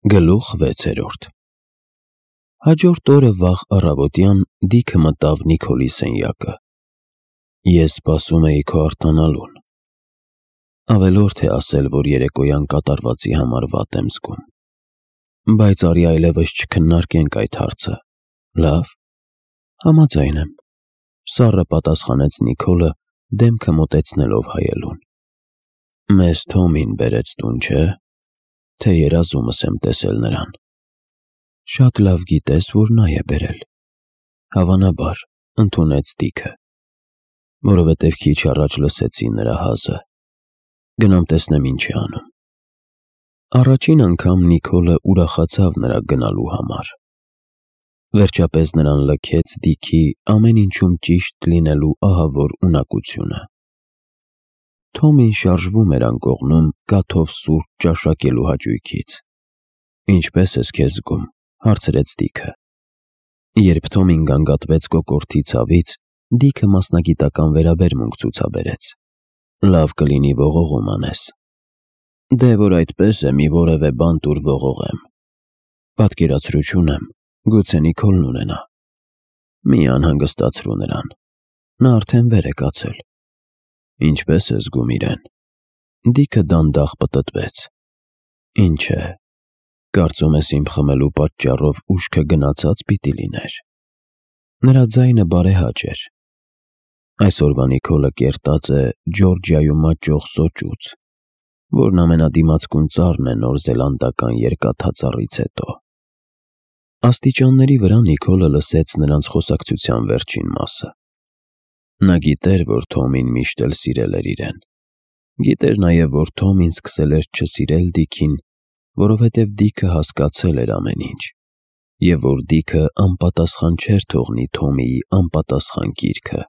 Գլուխ 6 Հաջորդ օրը վաղ առավոտյան Դիքը մտավ Նիքոլի սենյակը։ Ես սպասում էի քո արտանալուն։ Ավելորդ է ասել, որ երեկոյան կատարվածի համար վատ եմ զգում։ Բայց արի այլևս չքննարկենք այդ հարցը, լավ։ Համաձայն եմ, սառը պատասխանեց Նիքոլը, դեմքը մոտեցնելով հայելուն։ Մեզ Թոմին բերեց տուն, չէ՞, թե երազումս եմ տեսել նրան։ Շատ լավ գիտես, որ նա է բերել։ Հավանաբար, ընդունեց Դիքը, որովհետև քիչ առաջ լսեցի նրա հազը։ Գնամ տեսնեմ ինչ է անում։ Առաջին անգամ Նիքոլը ուրախացավ նրա գնալու համար։ Վերջապես նրան լքեց Դիքի ամեն ինչում ճիշտ լինելու ահավոր ունակությունը։ Թոմին շարժվում էր անկողնում կաթով սուրճ ճաշակելու հաճույքից։ Ինչպե՞ս ես քեզ զգում, հարցրեց Դիքը։ Երբ Թոմին գանգատվեց կոկորդի ցավից, Դիքը մասնագիտական վերաբերմունք ցուցաբերեց։ Լավ կլինի ողողում անես։ Դե որ այդպես է, մի որևէ բան տուր ողողեմ։ Պատկերացրու չունեմ, գուցե Նիքոլն ունենա։ Մի անհանգստացրու նրան։ Նա արդեն վեր է կացել։ Ինչպե՞ս է զգում իրեն։ Դիքը դանդաղ պտտվեց։ Ինչ է, կարծում ես իմ խմելու պատճառով ուշքը գնացած պիտի լիներ։ Նրա ձայնը բարեհաճ էր։ Այսօրվա Նիքոլը կերտած է Ջորջիայում աճող սոճուց, որն ամենադիմացկուն ծառն է Նոր Զելանդական երկաթածառից հետո։ Աստիճանների վրա Նիքոլը լսեց նրանց խոսակցության վերջին մասը։ Նա գիտեր, որ Թոմին միշտ էլ սիրել էր իրեն։ Գիտեր նաև, որ Թոմին սկսել էր չսիրել Դիքին, որովհետև Դիքը հասկացել էր ամեն ինչ, և որ Դիքը անպատասխան չէր թողնի Թոմիի անպատասխան կիրքը։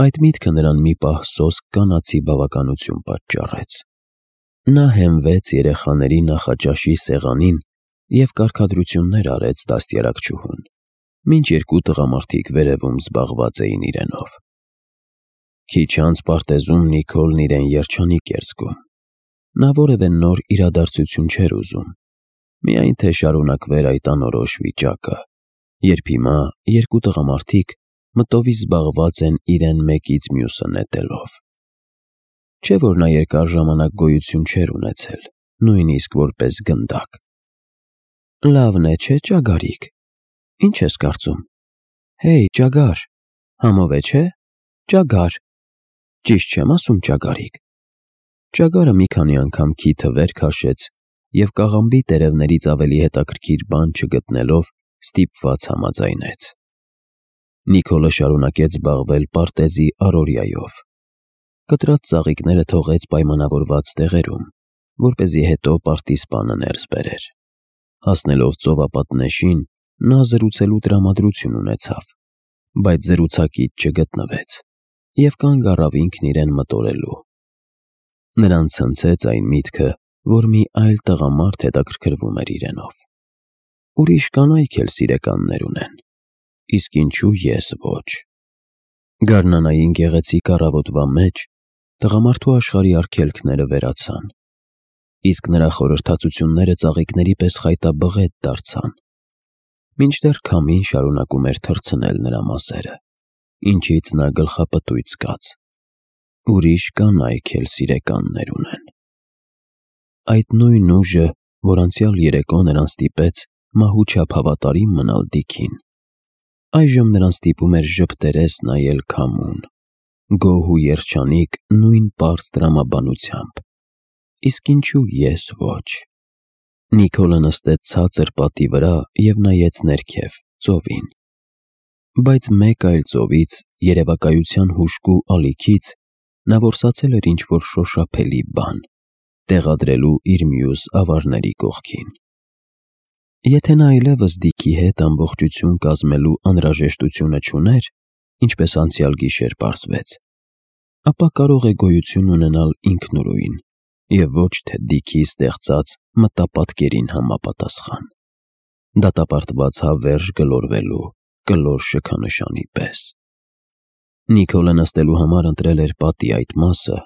Այդ միտքը նրան մի պահ սոսկ կանացի բավականություն պատճառեց։ Նա հենվեց երեխաների նախաճաշի սեղանին և կարգադրություններ արեց դաստիարակչուհուն, մինչ երկու տղամարդիկ վերևում զբաղված էին իրենով։ Քիչ անց պարտեզում Նիքոլն իրեն երջանիկ էր զգում։ Նա որևէ նոր իրադարձություն չէր ուզում, միայն թե շարունակվեր այդ անորոշ վիճակը, երբ հիմա երկու տղամարդիկ մտովի զբաղված են իրեն մեկից մյուսը նետելով։ Չէ՞ որ նա երկար ժամանակ գոյություն չէր ունեցել, նույնիսկ որպես գնդակ։ Լավն է, չէ՞, ճագարիկ։ Ինչ ես կարծում։ Հեյ, ճագար, համով է, չէ՞։ Ճագար։ Ճիշտ չեմ ասում, ճագարիկ։ Ճագարը մի քանի անգամ քիթը վեր քաշեց և կաղամբի տերևներից ավելի հետաքրքիր բան չգտնելով ստիպված համաձայնեց։ Նիքոլը շարունակեց զբաղվել պարտեզի առօրյայով։ Կտրած ծաղիկները թողեց պայմանավորված տեղերում, որպեսզի հետո պարտիզպանը ներս բերեր։ Հասնելով ծովապատնեշին, նա զրուցելու տրամադրություն ունեցավ, բայց զրուցակից չգտնվեց, և կանգ առավ ինքն իրեն մտորելու։ Նրան ցնցեց այն միտքը, որ մի այլ տղամարդ հետաքրքրվում էր իրենով։ Ուրիշ կանայք էլ սիրեկաններ ունեն, իսկ ինչու ես ոչ։ Գարնանային գեղեցիկ առավոտվա մեջ տղամարդու աշխարհի արգելքները վերացան, իսկ նրա խորհրդածությունները ծաղիկների պես խայտաբղետ դարձան, մինչդեռ քամին շարունակում էր թռցնել նրա մազերը, ինչից նա գլխապտույտ զգաց։ Ուրիշ կանայք էլ սիրեկաններ ունեն։ Այդ նույն ուժը, որ անցյալ երեկո նրան ստիպեց մահուչափ հավատարիմ մնալ Դիքին, այժմ նրան ստիպում էր ժպտերես նայել քամուն, գոհ ու երջանիկ նույն պարզ տրամաբանությամբ, իսկ ինչու ես ոչ։ Նիքոլը նստեց ցածր պատի վրա և նայեց ներքև, ծովին։ Բայց մեկ այլ ծովից, երևակայության հուժկու ալիքից, նա որսացել էր ինչ-որ շոշափելի բան, տեղադրելու իր մյուս ավարների կողքին։ Եթե նա այլևս Դիքի հետ ամբողջություն կազմելու անհրաժեշտությունը չուներ, ինչպես անցյալ գիշեր պարզվեց, ապա կարող է գոյություն ունենալ ինքնուրույն և ոչ թե Դիքի ստեղծած մտապատկերին համապատասխան, դատապարտված հավերժ գլորվելու կլոր շքանշանի պես։ Նիքոլը նստելու համար ընտրել էր պատի այդ մասը,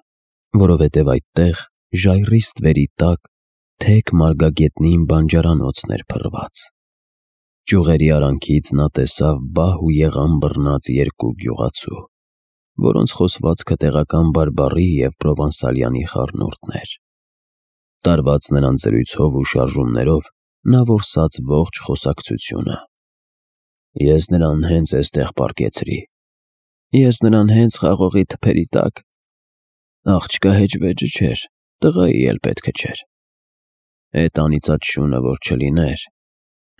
որովհետև այդտեղ, ժայռի ստվերի տակ, թեք մարգագետնին բանջարանոցն էր փռված։ Ճյուղերի արանքից նա տեսավ բահ ու եղան բռնած երկու գյուղացու, որոնց խոսվածքը տեղական բարբառի և պրովանսալյանի խառնուրդն էր։ Տարված նրանց զրույցով ու շարժումներով նա որսաց ողջ խոսակցությունը։ Ես նրան հենց էստեղ պառկեցրի։ Ես նրան հենց խաղողի թփերի տակ։ Աղջկա հեճվեճը չէր, տղայի էլ պետքը չէր։ Էդ անիծած շունը որ չլիներ,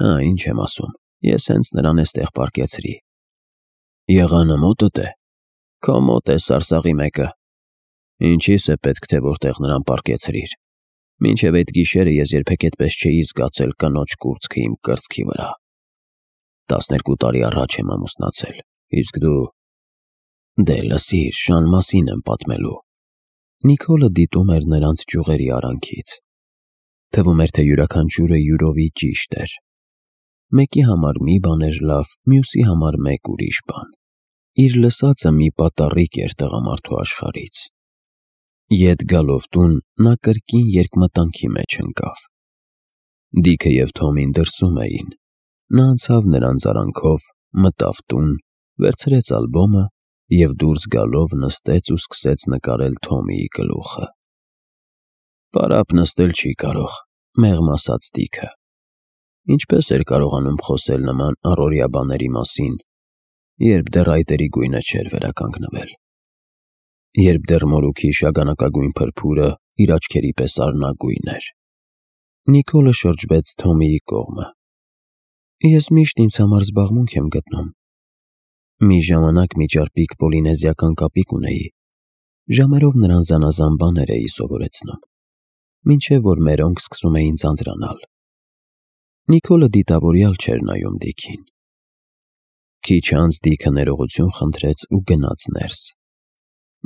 ինչ եմ ասում, ես հենց նրան էստեղ պառկեցրի։ Եղանը մոտդ է։ Քո մոտ է սարսաղի մեկը։ Ինչիս է պետք թե որտեղ նրան պառկեցրիր։ Մինչև այդ գիշերը ես երբեք այդպես չէի զգացել կնոջ կուրծքը իմ կրծքի վրա։ 12 տարի առաջ եմ ամուսնացել, իսկ դու… Դե լսիր, շան մասին եմ պատմելու։ Նիկոլը դիտում էր նրանց ճյուղերի արանքից։ Թվում էր, թե յուրաքանչյուրը յուրովի ճիշտ էր։ Մեկի համար մի բան էր լավ, մյուսի համար մեկ ուրիշ բան։ Իր լսածը մի պատառիկ էր տղամարդու աշխարհից։ Ետ գալով տուն, նա կրկին երկմտանքի մեջ ընկավ։ Դիքը և Թոմին դրսում էին։ Նա անցավ նրանց արանքով, մտավ տուն, վերցրեց ալբոմը և դուրս գալով նստեց ու սկսեց նկարել Թոմիի գլուխը։ Պարապ նստել չի կարող, մեղմ ասաց Դիքը։ Ինչպես էր կարողանում խոսել նման առօրյա բաների մասին, երբ դեռ այտերի գույնը չէր վերականգնվել, երբ դեռ մորուքի շագանակագույն փրփուրը իր աչքերի պես արնագույն էր։ Նիկոլը շրջվեց Թոմիի կողմը։ Ես միշտ ինձ համար զբաղմունք եմ գտնում։ Մի ժամանակ մի ճարպիկ պոլինեզիական կապիկ ունեի։ Ժամերով նրան զանազան բաներ էի սովորեցնում, մինչև որ մերոնք սկսում էին ձանձրանալ։ Նիկոլը դիտավորյալ չէր նայում Դիքին։ Քիչ անց Դիքը ներողություն խնդրեց ու գնաց ներս։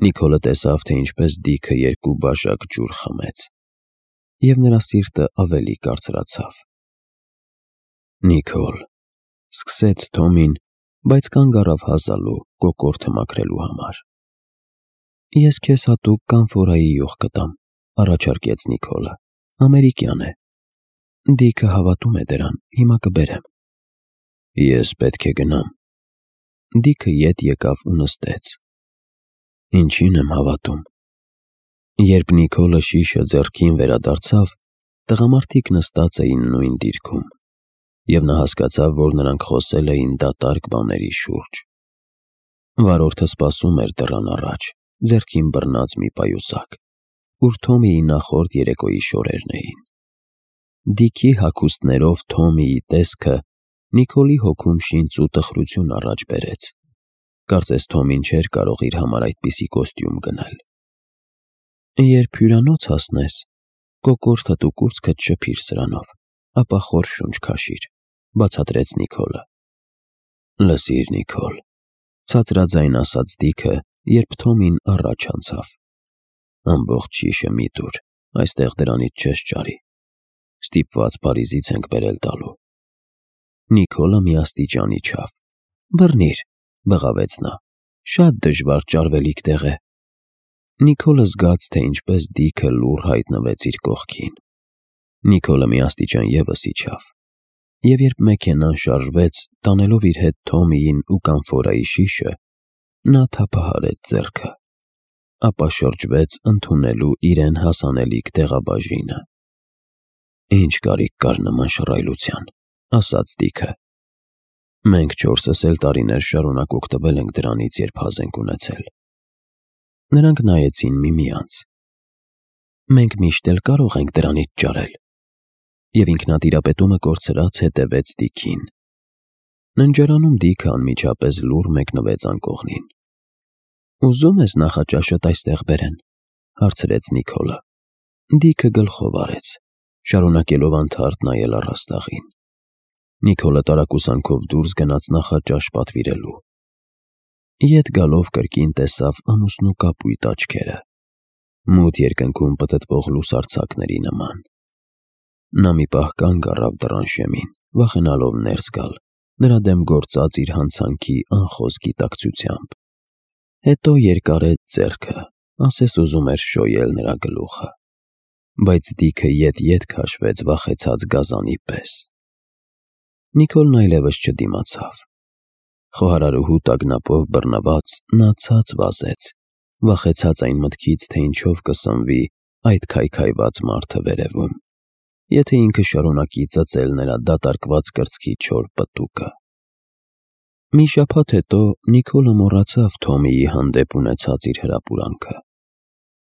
Նիկոլը տեսավ, թե ինչպես Դիքը 2 բաժակ ջուր խմեց, և նրա սիրտը ավելի կարծրացավ։ Նիկոլ, սկսեց Թոմին, բայց կանգ առավ հազալու, կոկորդը մաքրելու համար։ Ես քեզ հատուկ կանֆորայի յուղ կտամ, առաջարկեց Նիկոլը, ամերիկյան է։ Դիքը հավատում է դրան, հիմա կբերեմ։ Ես պետք է գնամ։ Դիքը ետ եկավ ու նստեց։ Ինչին եմ հավատում։ Երբ Նիկոլը շիշը ձեռքին վերադարձավ, տղամարդիկ նստած էին նույն դիրքում, և նա հասկացավ, որ նրանք խոսել էին դատարկ բաների շուրջ։ Վարորդը սպասում էր դռան առաջ, ձեռքին բռնած մի պայուսակ, ուր Թոմիի նախորդ երեկոյի շորերն էին։ Դիքի հագուստներով Թոմիի տեսքը Նիկոլի հոգում շինծ ու տխրություն առաջ բերեց։ Կարծես Թոմին չէր կարող իր համար այդպիսի կոստյում գնել։ Երբ հյուրանոց հասնես, կոկորդդ ու կուրծքդ շփիր սրանով, ապա խոր շունչ քաշիր, բացատրեց Նիկոլը։ Լսիր, Նիկոլ, ցածրաձայն ասաց Դիքը, երբ Թոմին առաջ անցավ։ Ամբողջ շիշը մի տուր, այստեղ դրանից չես ճարի։ Ստիպված Փարիզից ենք բերել տալու։ Նիկոլը մի աստիճան իջավ։ Բռնիր, բղավեց նա, շատ դժվար ճարվելիք տեղ է։ Նիկոլը զգաց, թե ինչպես Դիքը լուռ հայտնվեց իր կողքին։ Նիկոլը մի աստիճան ևս իջավ, և երբ մեքենան շարժվեց, տանելով իր հետ Թոմիին ու կանֆորայի շիշը, նա թափահարեց ձեռքը, ապա շրջվեց ընդունելու իրեն հասանելիք տեղաբաժինը։ Ինչ կարիք կար նման շռայլության, ասաց Դիքը։ Մենք 4-ս էլ տարիներ շարունակ օգտվել ենք դրանից, երբ հազ ենք ունեցել։ Նրանք նայեցին միմյանց։ Մենք միշտ էլ կարող ենք դրանից ճարել։ Եվ ինքնատիրապետումը կորցրած հետևեց Դիքին։ Ննջարանում Դիքը անմիջապես լուռ մեկնվեց անկողնին։ Ուզում ես նախաճաշդ այստեղ բերեն, հարցրեց Նիկոլը։ Դիքը գլխով արեց, շարունակելով անթարթ նայել առաստաղին։ Նիկոլը տարակուսանքով դուրս գնաց նախաճաշ պատվիրելու։ Ետ գալով կրկին տեսավ ամուսնու կապույտ աչքերը, մութ երկնքում պտտվող լուսարձակների նման։ Նա մի պահ կանգ առավ դռան շեմին, վախենալով ներս գալ, նրա դեմ գործած իր հանցանքի անխոս գիտակցությամբ։ Հետո երկարեց ձեռքը, ասես ուզում էր շոյել նրա գլուխը։ բայց դիքը ետ քաշվեց վախեցած գազանի պես։ Նիկոլն այլևս չդիմացավ։ Խոհարարուհու տագնապով բռնված նա ցած վազեց, վախեցած այն մտքից, թե ինչով կսնվի այդ քայքայված մարդը վերևում, եթե ինքը շարունակի ծծել նրա դատարկված կրծքի չոր պտուկը։ Մի շաբաթ հետո Նիկոլը մոռացավ Թոմիի հանդեպ ունեցած իր հրապուրանքը։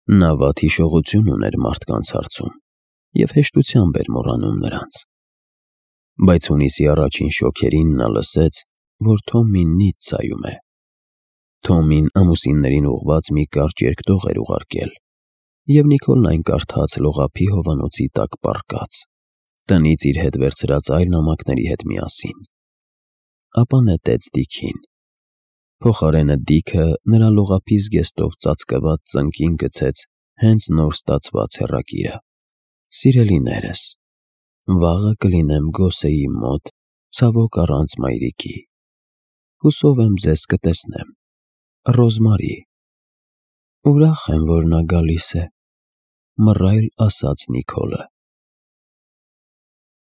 Նա վատ հիշողություն ուներ մարդկանց հարցում և հեշտությամբ էր մոռանում նրանց։ Բայց հունիսի առաջին շոգերին նա լսեց, որ Թոմին Նիցցայում է։ Թոմին ամուսիններին ուղղված մի կարճ երկտող էր ուղարկել, և Նիկոլն այն կարդաց լողափի հովանոցի տակ պառկած, տնից իր հետ վերցրած այլ նամակների հետ միասին։ Ապա նետեց դիքին։ Փոխարենը դիքը նրա լողափի զգեստով ծածկված ծնկին գցեց հենց նոր ստացված հեռագիրը. «Սիրելիներս, վաղը կլինեմ Գոսեի մոտ, ցավոք առանց մայրիկի։ Հուսով եմ ձեզ կտեսնեմ։ Ռոզմարի»։ Ուրախ եմ, որ նա գալիս է, մռայլ ասաց Նիկոլը։